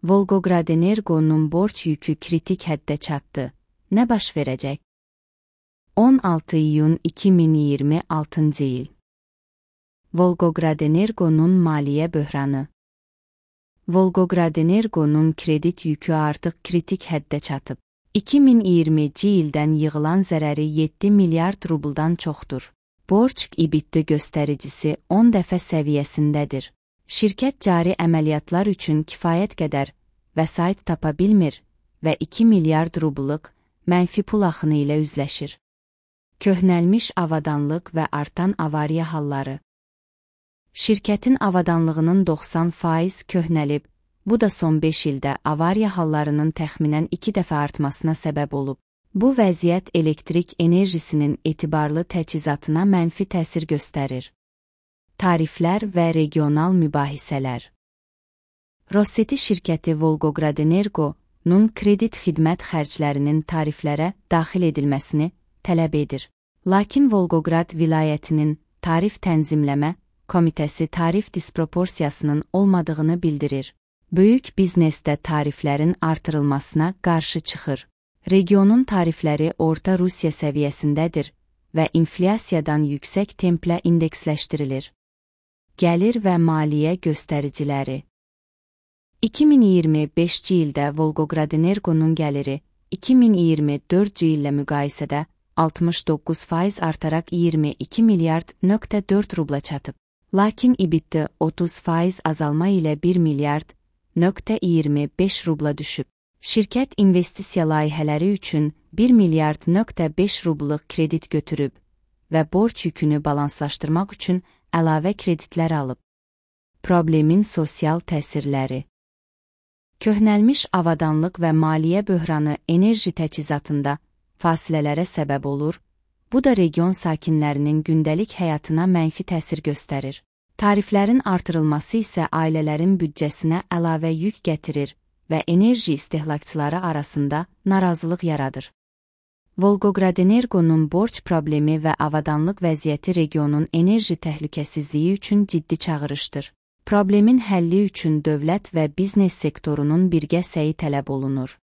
Volgogradenergo'nun borç yükü kritik həddə çatdı. Nə baş verəcək? 16 iyun 2026 il. Volgogradenergo'nun maliyyə böhranı. Volgogradenergo'nun kredit yükü artıq kritik həddə çatıb. 2020-ci ildən yığılan zərəri 7 milyard rubldan çoxdur. Borc-EBITDA göstəricisi 10 dəfə səviyyəsindədir. Şirkət cari əməliyyatlar üçün kifayət qədər vəsait tapa bilmir və 2 milyard rublluq mənfi pul axını ilə üzləşir. Köhnəlmiş avadanlıq və artan avariya halları. Şirkətin avadanlığının 90% köhnəlib, bu da son 5 ildə avariya hallarının təxminən 2 dəfə artmasına səbəb olub. Bu vəziyyət elektrik enerjisinin etibarlı təchizatına mənfi təsir göstərir. Tariflər və regional mübahisələr. Rosseti şirkəti Volgogradenergo'nun kredit xidmət xərclərinin tariflərə daxil edilməsini tələb edir. Lakin Volgograd vilayətinin tarif tənzimləmə komitəsi tarif disproporsiyasının olmadığını bildirir. Böyük biznesdə tariflərin artırılmasına qarşı çıxır. Regionun tarifləri orta Rusiya səviyyəsindədir və inflyasiyadan yüksək templə indeksləşdirilir. Gəlir və maliyyə göstəriciləri. 2025-ci ildə Volgogradenergo'nun gəliri 2024-cü illə müqayisədə 69% artaraq 22 milyard 4 rubla çatıb. Lakin EBITDA 30% azalma ilə 1 milyard 25 rubla düşüb. Şirkət investisiya layihələri üçün 1 milyard 5 rublluq kredit götürüb və borc yükünü balanslaşdırmaq üçün əlavə kreditlər alıb. Problemin sosial təsirləri. Köhnəlmiş avadanlıq və maliyyə böhranı enerji təchizatında fasilələrə səbəb olur, bu da region sakinlərinin gündəlik həyatına mənfi təsir göstərir. Tariflərin artırılması isə ailələrin büdcəsinə əlavə yük gətirir və enerji istehlakçıları arasında narazılıq yaradır. Volgogradenergo'nun borc problemi və avadanlıq vəziyyəti regionun enerji təhlükəsizliyi üçün ciddi çağırışdır. Problemin həlli üçün dövlət və biznes sektorunun birgə səyi tələb olunur.